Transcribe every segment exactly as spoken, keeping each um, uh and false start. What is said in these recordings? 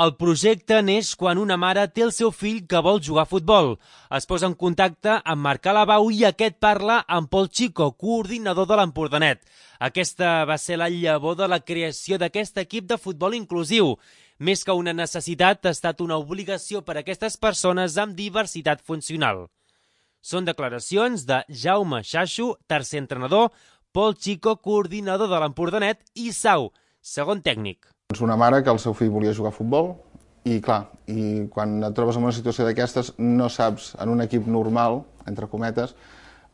El projecte neix quan una mare té el seu fill que vol jugar a futbol. Es posa en contacte amb Marc Alabau i aquest parla amb Pol Chico, coordinador de l'Empordanet. Aquesta va ser la llavor de la creació d'aquest equip de futbol inclusiu. Més que una necessitat, ha estat una obligació per a aquestes persones amb diversitat funcional. Són declaracions de Jaume Xaxo, tercer entrenador, Pol Chico, coordinador de l'Empordanet, i Sau, segon tècnic. És una mare que el seu fill volia jugar a futbol i, clar, i quan et trobes en una situació d'aquestes no saps, en un equip normal, entre cometes,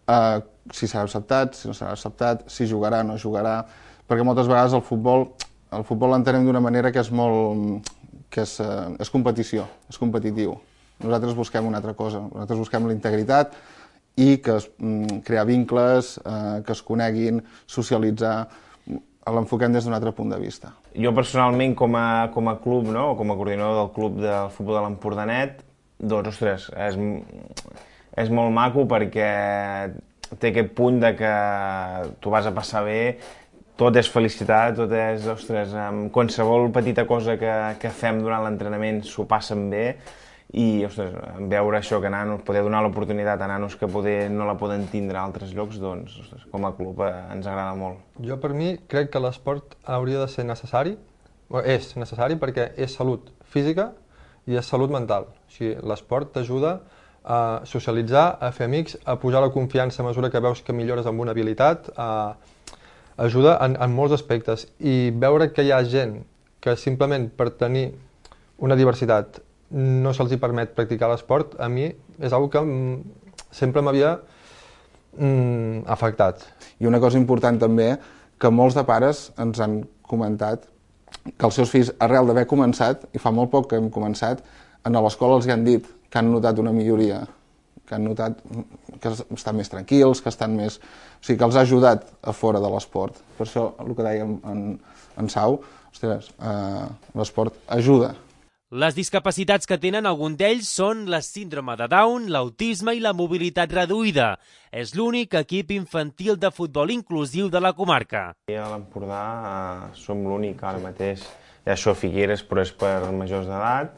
eh, si serà acceptat, si no serà acceptat, si jugarà o no jugarà, perquè moltes vegades el futbol el futbol l'entenem d'una manera que és molt... que és, eh, és competició, és competitiu. Nosaltres busquem una altra cosa, nosaltres busquem la integritat i que es, mm, crear vincles, eh, que es coneguin, socialitzar, l'enfoquem des d'un altre punt de vista. Jo personalment, com a, com a club, no? Com a coordinador del club del futbol de l'Empordanet, doncs, ostres, és, és molt maco perquè té aquest punt de que tu vas a passar bé, tot és felicitat, tot és, ostres, qualsevol petita cosa que, que fem durant l'entrenament s'ho passen bé, i, ostres, veure això, que nanos, poder donar l'oportunitat a nanos que poder no la poden tindre a altres llocs, doncs, ostres, com a club eh, ens agrada molt. Jo, per mi, crec que l'esport hauria de ser necessari, o és necessari perquè és salut física i és salut mental. O sigui, l'esport t'ajuda a socialitzar, a fer amics, a pujar la confiança a mesura que veus que millores amb una habilitat, a... ajuda en, en molts aspectes. I veure que hi ha gent que simplement per tenir una diversitat no se'ls permet practicar l'esport, a mi és una cosa que sempre m'havia mm, afectat. I una cosa important també, que molts de pares ens han comentat que els seus fills, arrel d'haver començat, i fa molt poc que hem començat, a l'escola els han dit que han notat una milloria, que han notat que estan més tranquils, que estan més... O sigui, que els ha ajudat a fora de l'esport. Per això, el que dèiem en, en Sau, ostres, eh, l'esport ajuda. Les discapacitats que tenen algun d'ells són la síndrome de Down, l'autisme i la mobilitat reduïda. És l'únic equip infantil de futbol inclusiu de la comarca. A l'Empordà eh, som l'únic ara mateix. Hi ha això Figueres, però és per majors d'edat.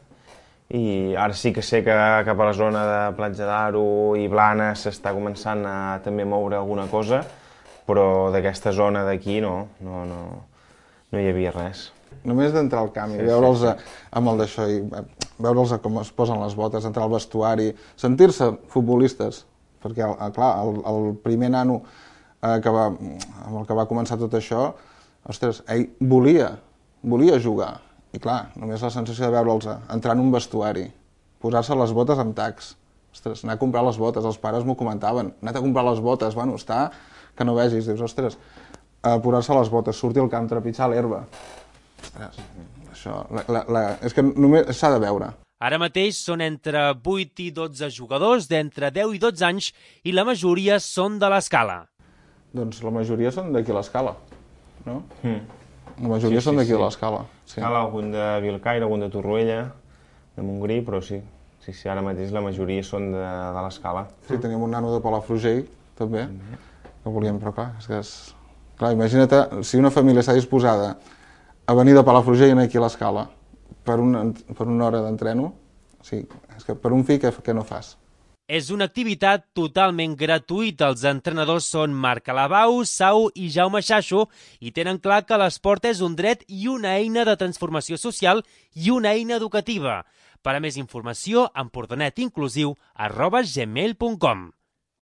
I ara sí que sé que cap a la zona de Platja d'Aro i Blanes s'està començant a també moure alguna cosa, però d'aquesta zona d'aquí no, no, no, no hi havia res. Només d'entrar al camp i veure'ls amb el d'això, i veure'ls com es posen les botes, entrar al vestuari, sentir-se futbolistes, perquè, clar, el, el primer nano eh, que va, amb el que va començar tot això, ostres, ell volia, volia jugar. I clar, només la sensació de veure'ls entrar en un vestuari, posar-se les botes amb tacs, ostres, anar a comprar les botes, els pares m'ho comentaven, anar a comprar les botes, bueno, està que no vegis, dius, ostres, eh, posar-se les botes, sortir al camp, trepitjar l'herba. Ostres, això, la, la, la, és que només s'ha de veure. Ara mateix són entre vuit i dotze jugadors d'entre deu i dotze anys i la majoria són de l'Escala. Doncs la majoria són d'aquí a l'Escala, no? Mm. La majoria sí, són d'aquí sí, sí. a l'Escala. Sí. Cal algun de Vilcaire, algun de Torroella, de Montgrí, però sí. Sí, sí, ara mateix la majoria són de, de l'Escala. Sí, tenim un nano de Palafrugell, també, mm-hmm. que volíem, però clar, és que és... Clar, imagina't si una família està disposada a venir de Palafrugell aquí a l'Escala per, una, per una hora d'entreno, o sigui, és que per un fill què, què no fas? És una activitat totalment gratuïta. Els entrenadors són Marc Alabau, Sau i Jaume Xaxo i tenen clar que l'esport és un dret i una eina de transformació social i una eina educativa. Per a més informació, empordanetinclusiu arroba gmail punt com.